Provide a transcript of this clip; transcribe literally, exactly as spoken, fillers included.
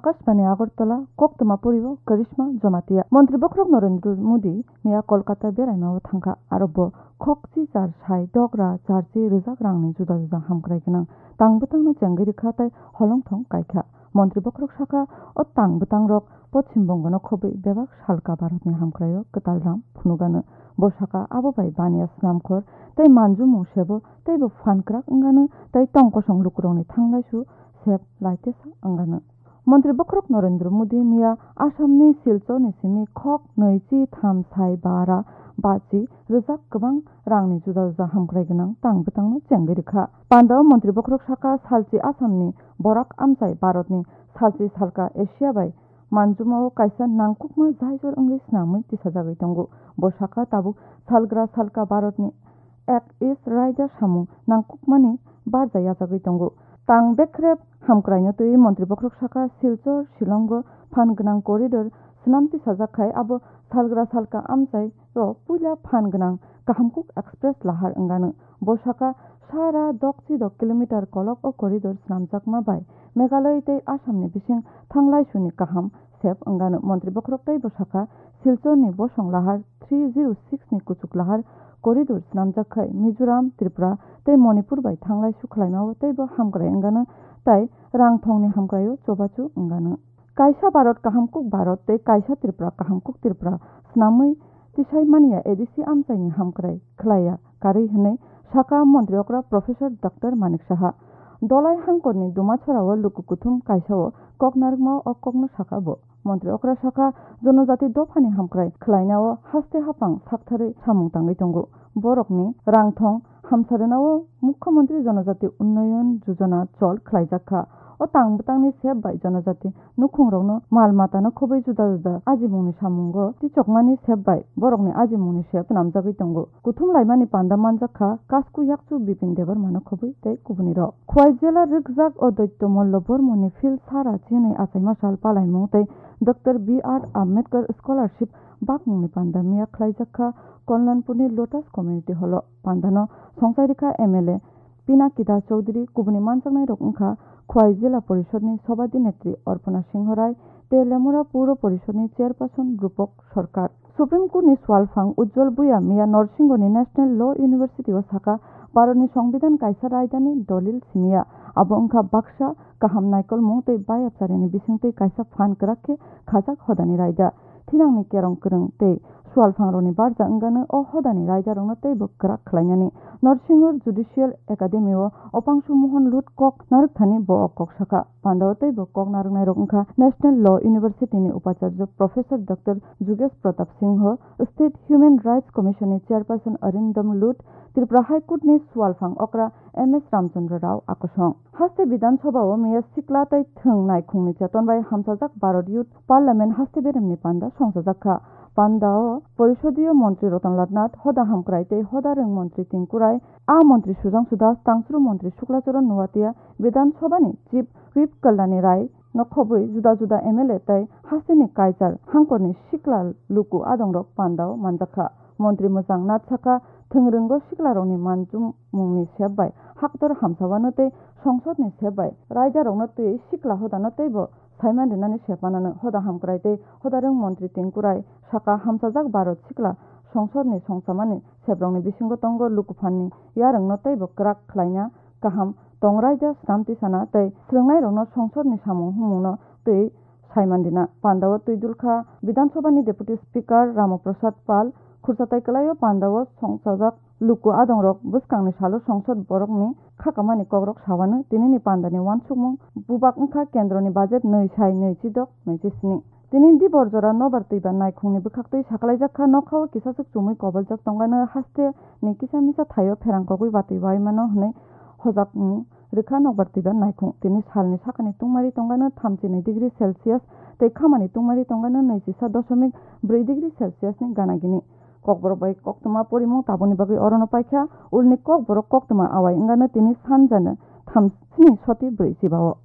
Akashbani Agartala, koktwma poribo Karishma Jamatia. Montri bokhorok Narendra Modi miya Kolkata beraimao thangkha, aro bo khokchi char sai dogra charchi rwjak rangni juda juda hamkrai gwnang tang bwtangno chengwi rwkha tei holongthong kaikha. Montri bokhorok sakha, o tang bwtangrok Poschim Bongono khobwi bebak salka Bharatni hamkraio kwtal ram phunugano. Bo sakha, abo bai baniya snamkhor tei manjumung sebo teibo phan kwrak wngano tei tong kosong lukurokni thanglaisu sep laitesa wngano. Montri bokhorok Narendra Modi miya Assamni Silchorni simi khok nwichi tham sai bara bachi rwjak kwbang rangni juda juda hamkrai gwnang tang bwtangno chengwi rwkha. Pandao montri bokhorok sakha, salchi Assamni borak amchai Bharatni salchi salka Asia bai manjumao kaisa nangkukma jaijor wngwi snamwi tisajagwi tongo. Bo sakha, tabuk salgra salka Bharatni Act East raida samung nangkukmani barja yachagwi tongo. Tang bekrep hamkraino twiwi montri bokhorok sakha, Silchar Shillongo phan gwnang corridor swnam tisajak khai abo salgra salka amchaio puila phan gwnang Kahamkuk Express lahar wngano. Bo sakha, sara dokchi dok kilometer kolok o corridor swnamjakma bai Meghalaya tei Assamni bising thanglaisuni kaham sep wngano. Montri bokhorok teibo sakha, Silchorni bosong lahar three zero six ni kuchuk lahar corridor swnamjak khai Mizoram, Tripura tei Manipur bai thanglaisu khlaimao teibo hamkrai wngano tei rangthongni hamkraio chobachu wngano. Kaisa Bharat Kahamkuk Bharat tei kaisa Tripura Kahamkuk Tripura swnamwi tisai manya A D C amchaini hamkrai khlaiya karwi hwnwi sakha montri okra Professor Doctor Manik Saha. Dolai hangkorni Dumasora o luku kuthum kaisa o kok narwkma o kokno sakha bo. Montri okra sakha, jonojati dophani hamkrai khlainao haste haphang saktharwi samung tangwi tongo. Borokni rangthong hamsa rwnao Mukhyamantri Jonojati Unnayan Yojana chol khlaijak kha. O tang bwtangni sep bai jonojati nukhungrokno mal matano khobwi juda juda ajimungni samungo tichokmani sep bai borokni ajimungni sep swnamjagwi tongo. Kuthum laimani panda manjak kha Kasku yakchu Bipin Debbarmano khobwi tei kubunirok. Khwai jela rwkjak Odoityo Mollo Bormoni Phil Sara chinwi achaima sal palaimung tei Doctor B R Ambedkar Scholarship bakmungni panda miya khlaijak kha Kalyanpurni Lotus Community Hall o. Pandano songchai rwkha M L A Pinaki Das Chowdhury, kubuni manjaknairok wngkha Khwai Jila Porishodni Sobhadi Netri Arpana Singho Rai tei Lemura Puro Porishodni Chairperson Rupok Sarkar. Supreme Courtni swalphang Ujjwal Bhuya miya Norsingoni National Law University o sakha, Bharatni Songbidan kaisa raidani dolil simiya, abo wngkha baksa kaham naikolmung tei bayapcharini bisingtwi kaisa phan kwrak khe khajak hodani raida. Thinangni kerong kwrwng tei swalphangrokni barja wngano o hodani raidarokno teibo kwrak khlainani. Norsingho Judicial Academy o Opangsu Mohon Lut kok narwkthani bo o kok sakha. Pandao teibo kok narwknairok wngkha National Law University ni Upacharya Professor Doctor Jugesh Pratap Singho, State Human Rights Commission ni Chairperson Arindam Lut, Tripura High Court ni swalphang okra M S Ramchandra Rao akosong. Haste Bidhan Sabha o miya sikla tei thwng naikhungni cheton bai hamsajak Bharat Youth Parliament haste beremni panda songchajak kha. Pandao Porisodiyo Montri Ratan Lal Nath, Hoda Hamkrai tei Hoda Rwng Montri Tinku Rai, A Montri Sudhangshu Das, Tangsru Montri Shukla Charan Noatia, Bidhan Sabha ni Chief Whip Kalyani Rai no khobwi juda juda M L A tei hasteni kaichar hangkorni sikla luku adongrok pandao manjakha. Montri mwchang Nath sakha, thwng rwngo siklarokni manjumungni sep bai haktor hamsawano tei songsodni sep bai raidarokno twi sikla hodano teibo saiman rinani sep manano. Hoda Hamkrai tei Hoda Rwng Montri Tinku Rai sakha, hamsajak Bharat sikla songsodni songchamani seprokni bisingo tongo lukuphanni yarwngno teibo kwrak khlaina, kaham tong raida swnam tisana tei swrwngnairokno songsodni samung humungno twi saiman rina. Pandao twi dulkha Bidhan Sabha ni Deputy Speaker Rama Prasad Pal, khursa tai kwlaio pandao songchajak luku adongrok bwskangni salo songsod borokni khakamani kokrok sawano. Tinini pandani uansukmung bubak wngkha kendroni budget nwi sai nwi chidok nwi chisni. Tini dibor jora nobar twiba naikhungni bwkhaktwi sakalaijak kha, nokha o kisaswk chumui koboljak tongano haste ni kisa misa thaio pherang kogwi watwi waimano hwnwi hojakmung rwkha nokbar twiba naikhung. Tini salni sakani tungmari tongano thamchi nwi degree Celsius tei khamani tungmari tongano nwi chisa dosomik bwrwi degree Celsius ni gana gini. Kokborok bai koktwma porimung tabukni bagwi orono paikha. Ulni kokborok koktwma awai wngano tini sanjano thamsni soti bwrwi chibao.